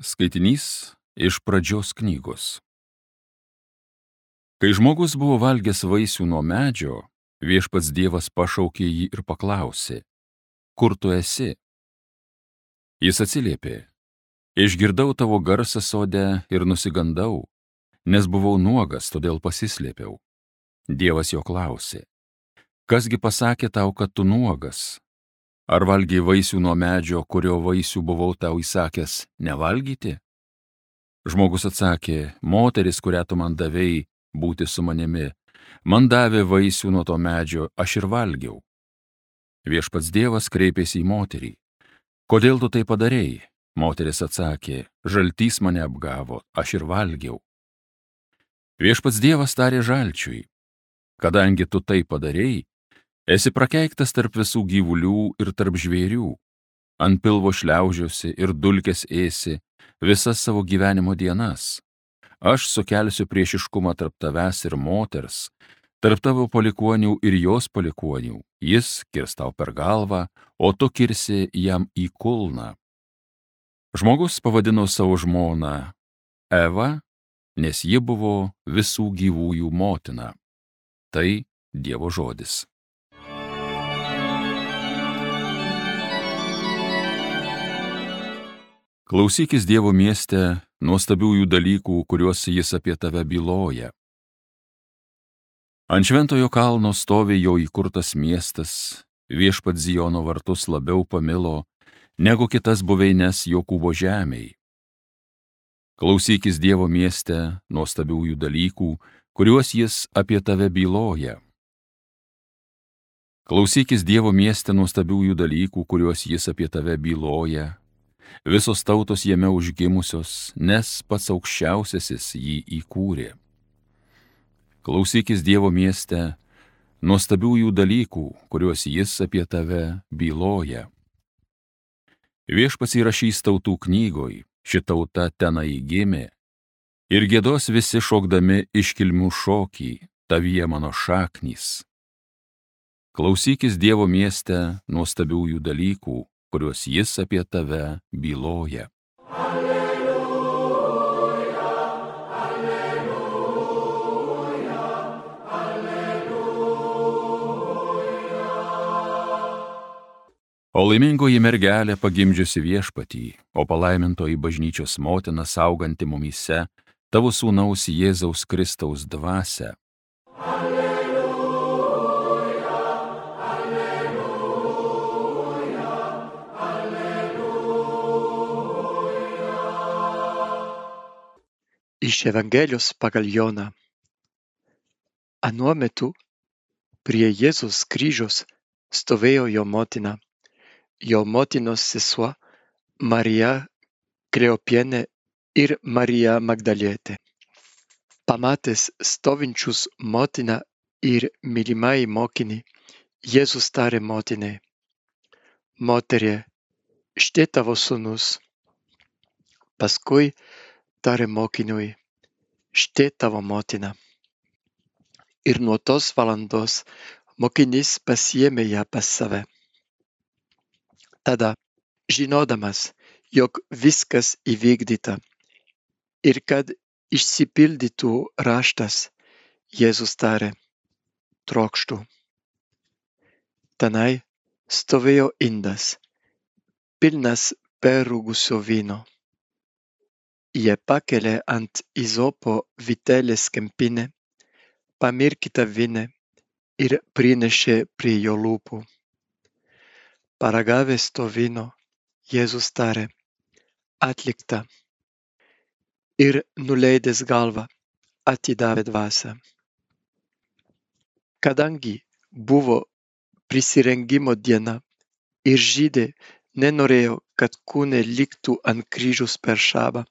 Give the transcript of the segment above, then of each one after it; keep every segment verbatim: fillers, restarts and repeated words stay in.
Skaitinys iš Pradžios knygos. Kai žmogus buvo valgęs vaisių nuo medžio, viešpats Dievas pašaukė jį ir paklausė: Kur tu esi? Jis atsiliepė: Išgirdau tavo garsą sode ir nusigandau, nes buvau nuogas, todėl pasislėpiau. Dievas jo klausė: Kasgi pasakė tau, kad tu nuogas? Ar valgei vaisių nuo medžio, kurio vaisių buvau tau įsakęs nevalgyti? Žmogus atsakė: Moteris, kurią tu man davei būti su manimi, man davė vaisių nuo to medžio, aš ir valgiau. Viešpats Dievas kreipėsi į moterį: Kodėl tu tai padarei? Moteris atsakė: Žaltys mane apgavo, aš ir valgiau. Viešpats Dievas tarė žalčiui: Kadangi tu tai padarei, esi prakeiktas tarp visų gyvulių ir tarp žvėrių. Ant pilvo šliaužiosi ir dulkes ėsi visas savo gyvenimo dienas. Aš sukelsiu priešiškumą tarp tavęs ir moters, tarp tavo palikuonių ir jos palikuonių. Jis kirs tau per galvą, o tu kirsi jam į kulną. Žmogus pavadino savo žmoną Eva, nes ji buvo visų gyvųjų motina. Tai Dievo žodis. Klausykis Dievo mieste nuostabiųjų dalykų, kuriuos jis apie tave byloja. Ant šventojo kalno stovi jo įkurtas miestas, viešpats Ziono vartus labiau pamilo, negu kitas buveines Jokūbo žemėj. Klausykis Dievo mieste nuostabiųjų dalykų, kuriuos jis apie tave byloja. Klausykis Dievo mieste nuostabiųjų dalykų, kuriuos jis apie tave byloja. Visos tautos jame užgimusios, nes pats aukščiausiasis jį įkūrė. Klausykis Dievo mieste nuostabiųjų dalykų, kuriuos jis apie tave byloja. Viešpats įrašys tautų knygoj, ši tauta tenai gimė, ir giedos visi šokdami iškilmių šokį, tavyje mano šaknys. Klausykis Dievo mieste nuostabiųjų dalykų, kuriuos jis apie tave byloja. Alleluja, alleluja, alleluja. O laimingoji mergelė pagimdžiusi viešpatį, o palaimintoji bažnyčios motina sauganti mumyse tavo sūnaus Jėzaus Kristaus dvasią. Iš Evangelijos pagal Joną. Anuo metu prie Jėzaus kryžiaus stovėjo jo motina, jo motinos sesuo Marija Kleopienė ir Marija Magdalietė. Pamatęs stovinčius motiną ir mylimąjį mokinį, Jėzus tarė motinai: Moterie, štai tavo sūnus. Paskui tarė mokiniui: štai tavo motina. Ir nuo tos valandos mokinys pasiėmė ją pas save. Tada, žinodamas, jog viskas įvykdyta ir kad išsipildytų raštas, Jėzus tarė: trokštu. Tenai stovėjo indas, pilnas perrūgusio vyno. Jie pakelė ant izopo vitelės kempinę, pamirkytą vyną ir prinešė prie jo lūpų. Paragavęs to vyno, Jėzus tarė: atlikta. Ir nuleidęs galvą, atidavė dvasią. Kadangi buvo prisirengimo diena ir žydai nenorėjo, kad kūnai liktų ant kryžiaus per šabą,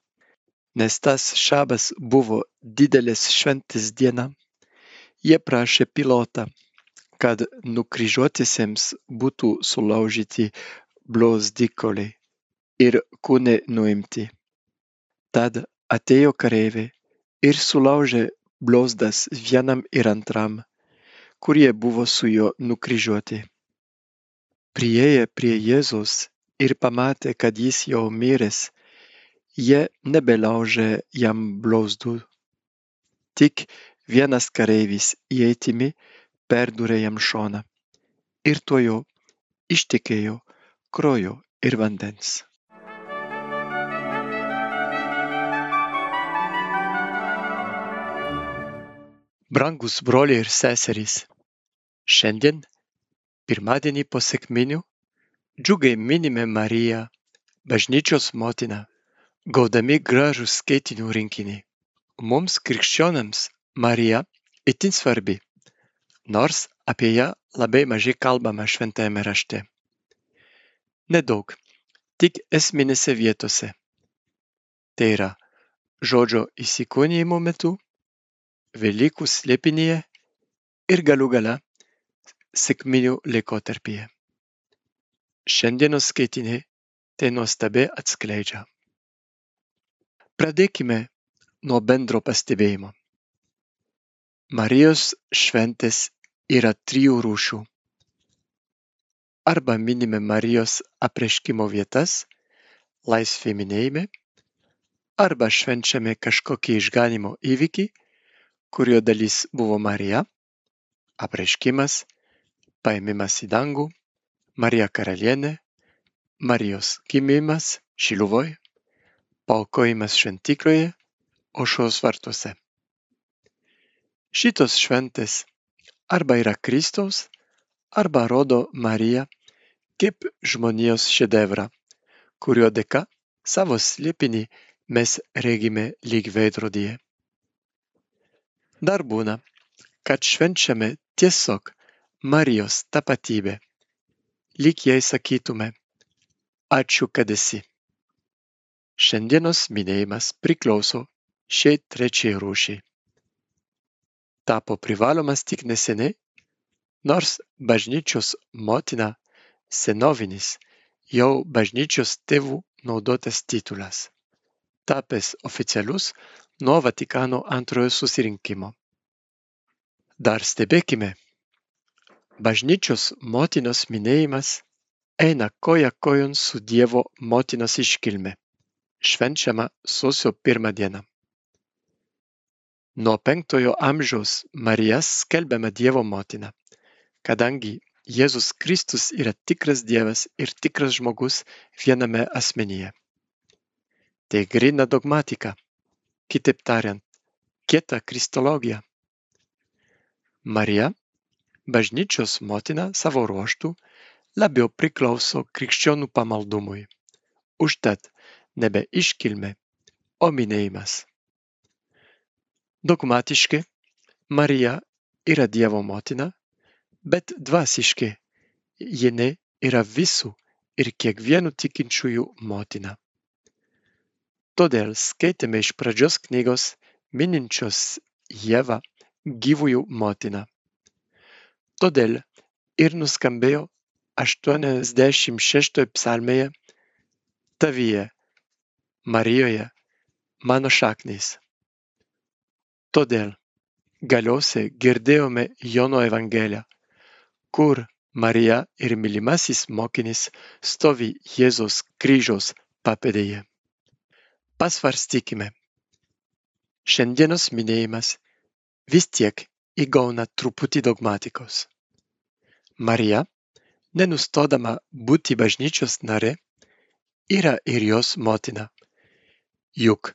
nes tas šabas buvo didelės šventės diena, jie prašė Pilotą, kad nukryžiuotiesiems būtų sulaužyti blauzdikauliai ir kūnai nuimti. Tad atėjo kareiviai ir sulaužė blauzdas vienam ir antram, kurie buvo su juo nukryžiuoti. Priėję prie Jėzaus ir pamatė, kad jis jau miręs, jie nebelaužė jam blauzdų. Tik vienas kareivis ietimi perdūrė jam šoną ir tuojau ištekėjo kraujo ir vandens. Brangus broliai ir seserys, šiandien, pirmadienį po sekminių, džiugiai minime Mariją, bažnyčios motiną, gaudami gražų skaitinių rinkinį. Mums krikščionams Marija itin svarbi, nors apie ją labai mažai kalbama šventajame rašte. Nedaug, tik esminėse vietose. Tai yra žodžio įsikūnijimo metu, Velykų slėpinyje ir galų gale sekminių laikotarpyje. Šiandienos skaitiniai tai nuostabiai atskleidžia. Pradėkime nuo bendro pastebėjimo. Marijos šventės yra trijų rūšių. Arba minime Marijos apreiškimo vietas, laisvė minėjime, arba švenčiame kažkokį išganimo įvykį, kurio dalis buvo Marija, apreiškimas, paėmimas į dangų, Marija karalienė, Marijos gimimas Šiluvoj, paaukojimas šventykloje, aušros vartuose. Šitos šventės arba yra Kristaus, arba rodo Mariją kaip žmonijos šedevrą, kurio dėka savo slėpinį mes regime lyg veidrodyje. Dar būna, kad švenčiame tiesiog Marijos tapatybę, lyg jai sakytume, ačiū, kad esi. Šiandienos minėjimas priklauso šiai trečiai rūšiai. Tapo privalomas tik neseniai, nors bažnyčios motina senovinis, jau bažnyčios tėvų naudotas titulas, tapęs oficialus nuo Vatikano antrojo susirinkimo. Dar stebėkime, bažnyčios motinos minėjimas eina koja kojon su Dievo motinos iškilme, švenčiama sausio pirmą dieną. Nuo penktojo amžiaus Marija skelbiama Dievo motina, kadangi Jėzus Kristus yra tikras Dievas ir tikras žmogus viename asmenyje. Tai gryna dogmatika, kitaip tariant, kieta kristologija. Marija, bažnyčios motina savo ruožtu, labiau priklauso krikščionių pamaldumui. Užtat nebe iškilmė, o minėjimas. Dogmatiškai Marija yra Dievo motina, bet dvasiškai jinai yra visų ir kiekvienų tikinčiųjų motina. Todėl skaitėme iš pradžios knygos mininčios Jėvą gyvųjų motiną. Todėl ir nuskambėjo aštuoniasdešimt šeštoje psalmėje tavyje, Marijoje, mano šaknys. Todėl galiausiai girdėjome Jono Evangeliją, kur Marija ir mylimasis mokinys stovi Jėzaus kryžiaus papėdėje. Pasvarstykime. Šiandienos minėjimas vis tiek įgauna truputį dogmatikos. Marija, nenustodama būti bažnyčios narė, yra ir jos motina. Juk,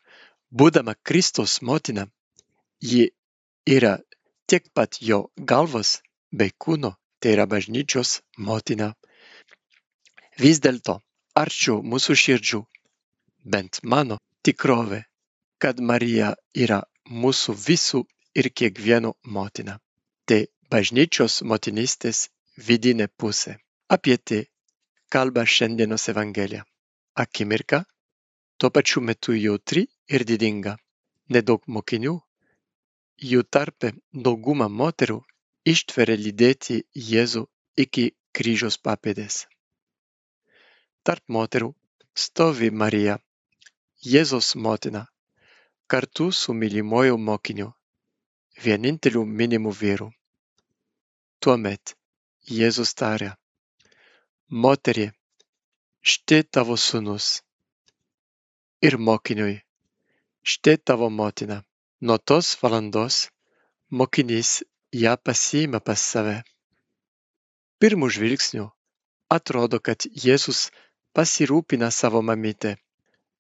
būdama Kristaus motina, ji yra tiek pat jo galvos bei kūno, tai yra bažnyčios motina. Vis dėlto, arčiau mūsų širdžių, bent mano tikrovė, kad Marija yra mūsų visų ir kiekvieno motina. Tai bažnyčios motinystės vidinė pusė. Apie tai kalba šiandienos Evangelija. Akimirka, tuo pačiu metu jautri ir didinga. Nedaug mokinių, jų tarpe dauguma moterų ištveria lydėti Jėzų iki kryžiaus papėdės. Tarp moterų stovi Marija, Jėzaus motina, kartu su mylimuoju mokiniu, vieninteliu minimu vyru. Tuomet Jėzus taria: Moterie, štai tavo sūnus. ir mokiniui: štai tavo motina. Nuo tos valandos mokinys ją pasiima pas save. Pirmu žvilgsniu atrodo, kad Jėzus pasirūpina savo mamytę,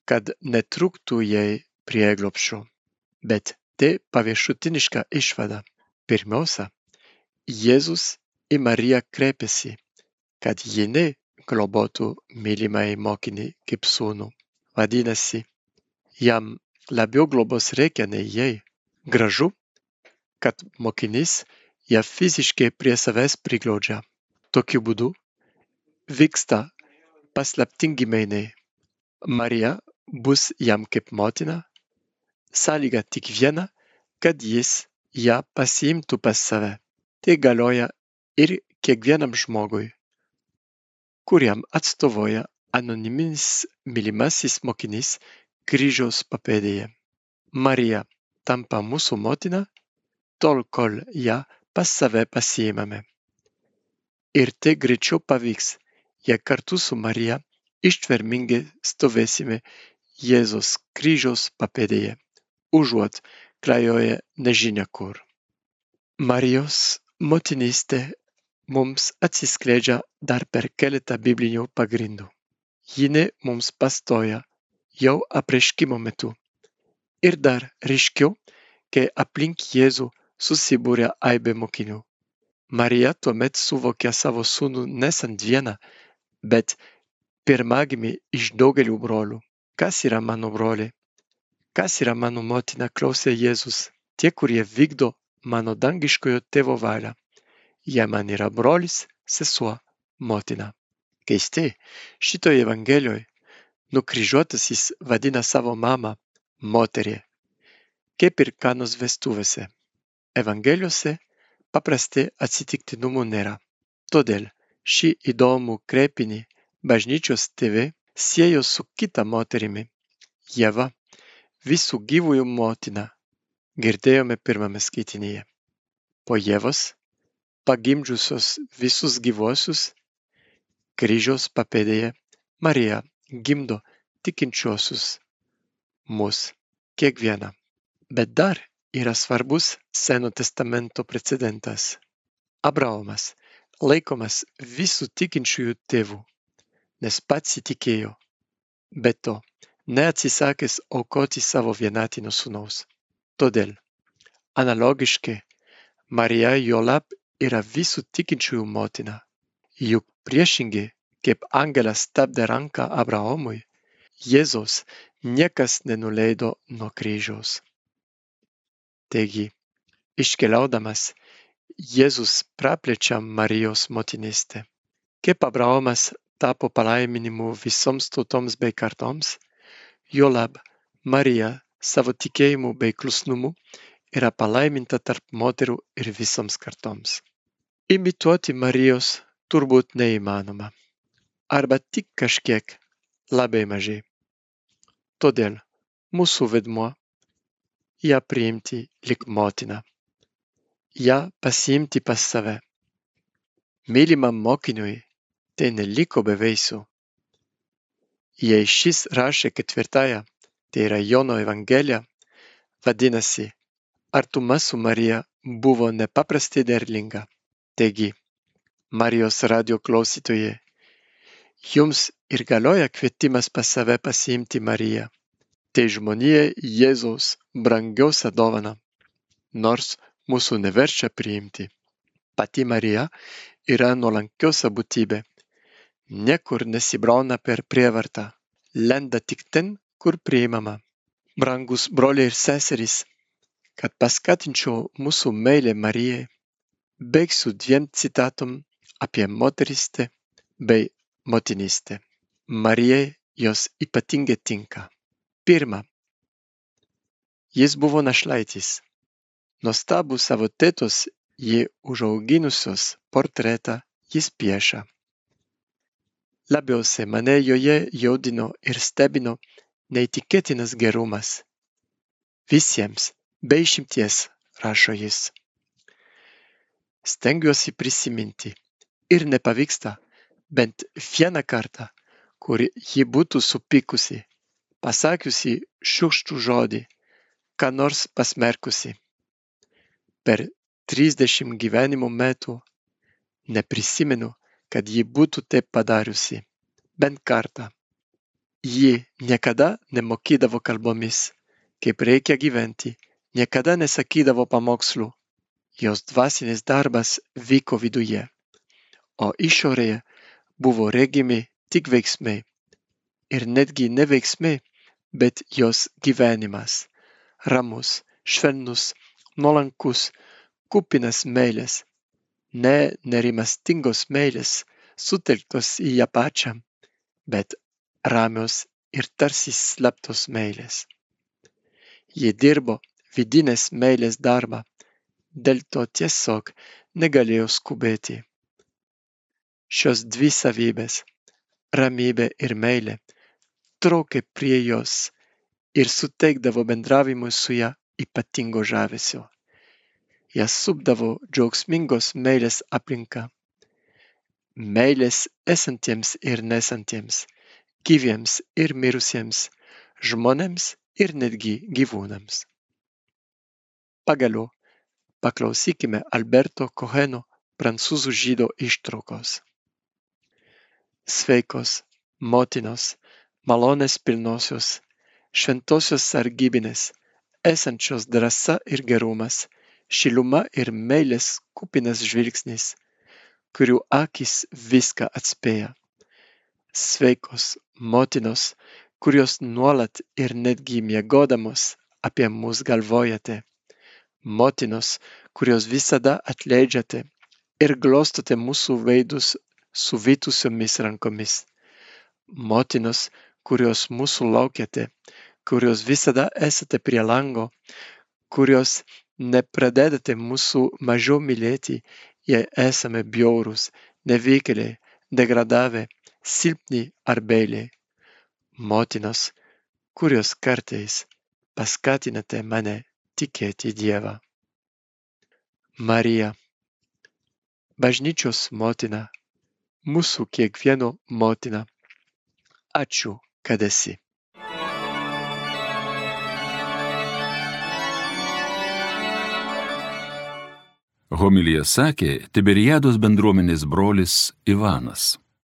kad netrūktų jai prieglobsčio. Bet tai paviršutiniška išvada. Pirmiausia, Jėzus į Mariją kreipiasi, kad jinai globotų mylimąjį mokinį kaip sūnų. Vadinasi, jam labiau globos reikia nei jai. Gražu, kad mokinys ją fiziškai prie savęs priglaudžia. Tokiu būdu vyksta paslaptingi mainai. Marija bus jam kaip motina, sąlyga tik viena, kad jis ją pasiimtų pas save. Tai galioja ir kiekvienam žmogui, kuriam atstovauja anoniminis mylimasis mokinys kryžiaus papėdėje. Marija tampa mūsų motina, tol kol ją pas save pasiimame. Ir tai greičiau pavyks, jei kartu su Marija ištvermingai stovėsime Jėzaus kryžiaus papėdėje, užuot klajoję nežinia kur. Marijos motinystė mums atsiskleidžia dar per keletą biblinių pagrindų. Jinai mums pastoja jau apreiškimo metu. Ir dar ryškiau, kai aplink Jėzų susibūrė aibė mokinių. Marija tuomet suvokia savo sūnų nesant vieną, bet pirmagimį iš daugelių brolių. Kas yra mano broliai? Kas yra mano motina, klausė Jėzus? Tie, kurie vykdo mano dangiškojo tėvo valią. Jie man yra brolis, sesuo, motina. Keistai, šitoje evangelijoje nukryžiuotasis vadina savo mamą moterį, kaip ir Kanos vestuvėse. Evangelijose paprastai atsitiktinumų nėra. Todėl šį įdomų kreipinį bažnyčios tėvai siejo su kita moterimi, Ieva, visų gyvųjų motina, girdėjome pirmame skaitinyje. Po Ievos, pagimdžiusios visus gyvuosius, kryžiaus papėdėje Marija gimdo tikinčiuosius, mus, kiekvieną. Bet dar yra svarbus Seno testamento precedentas. Abraomas laikomas visų tikinčiųjų tėvų, nes pats įtikėjo, bet to neatsisakęs aukoti savo vienatinio sūnaus. Todėl, analogiškai, Marija juolab yra visų tikinčiųjų motina. Juk priešingai, kaip angelas stabdė ranką Abraomui, Jėzaus niekas nenuleido nuo kryžiaus. Taigi, iškeliaudamas, Jėzus praplečia Marijos motinystę. Kaip Abraomas tapo palaiminimu visoms tautoms bei kartoms, juolab Marija savo tikėjimu bei klusnumu yra palaiminta tarp moterų ir visoms kartoms. Imituoti Marijos turbūt neįmanoma, arba tik kažkiek, labai mažai. Todėl mūsų vaidmuo ją priimti lyg motiną, ją pasiimti pas save. Mylimam mokiniui tai neliko be vaisių. Jei šis rašė ketvirtąją, tai yra Jono Evangelija, vadinasi, artuma su Marija buvo nepaprastai derlinga. Taigi, Marijos radijo klausytojai, jums ir galioja kvietimas pas save pasiimti Mariją. Tai žmonijai Jėzaus brangiausia dovana, nors mūsų neverčia priimti. Pati Marija yra nuolankiausia būtybė. Niekur nesibrauna per prievartą, lenda tik ten, kur priimama. Brangus broliai ir seserys, kad paskatinčiau mūsų meilę Marijai, baigsiu dviem citatom apie moterystę bei motinystę. Marijai jos ypatingai tinka. Pirma, jis buvo našlaitis. Nuostabų savo tėtos jį užauginusios portretą jis piešia. Labiausiai mane joje jaudino ir stebino neįtikėtinas gerumas. Visiems, be išimties, rašo jis. Stengiuosi prisiminti ir nepavyksta bent vieną kartą, kur ji būtų supykusi, pasakiusi šiurkštų žodį, ką nors pasmerkusi. Per trisdešimt gyvenimo metų neprisimenu, kad ji būtų taip padariusi, bent kartą. Ji niekada nemokydavo kalbomis, kaip reikia gyventi, niekada nesakydavo pamokslų. Jos dvasinis darbas vyko viduje, o išorėje buvo regimi tik veiksmai. Ir netgi ne veiksmai, bet jos gyvenimas. Ramus, švelnus, nuolankus, kupinas meilės. Ne nerimastingos meilės, sutelktos į ją pačią, bet ramios ir tarsi slaptos meilės. Ji dirbo vidinės meilės darbą, dėl to tiesiog negalėjo skubėti. Šios dvi savybės, ramybė ir meilė, traukė prie jos ir suteikdavo bendravimui su ja ypatingo žavesio. Ją supdavo džiaugsmingos meilės aplinka. Meilės esantiems ir nesantiems, gyviems ir mirusiems, žmonėms ir netgi gyvūnams. Pagaliau, paklausykime Alberto Coheno prancūzų žydo ištraukos. Sveikos, motinos, malonės pilnosios, šventosios sargybinės, esančios drąsa ir gerumas, šiluma ir meilės kupinas žvilgsnis, kurių akis viską atspėja. Sveikos, motinos, kurios nuolat ir netgi miegodamos apie mus galvojate. Motinos, kurios visada atleidžiate ir glostote mūsų veidus suvytusiomis rankomis. Motinos, kurios mūsų laukiate, kurios visada esate prie lango, kurios nepradedate mūsų mažiau mylėti, jei esame bjaurūs, nevykėliai, degradavę, silpni ar beiliai. Motinos, kurios kartais paskatinate mane tikėti Dievą. Marija, bažnyčios motina, mūsų kiekvieno motina, ačiū, kad esi. Homiliją sakė Tiberiados bendruomenės brolis Ivanas.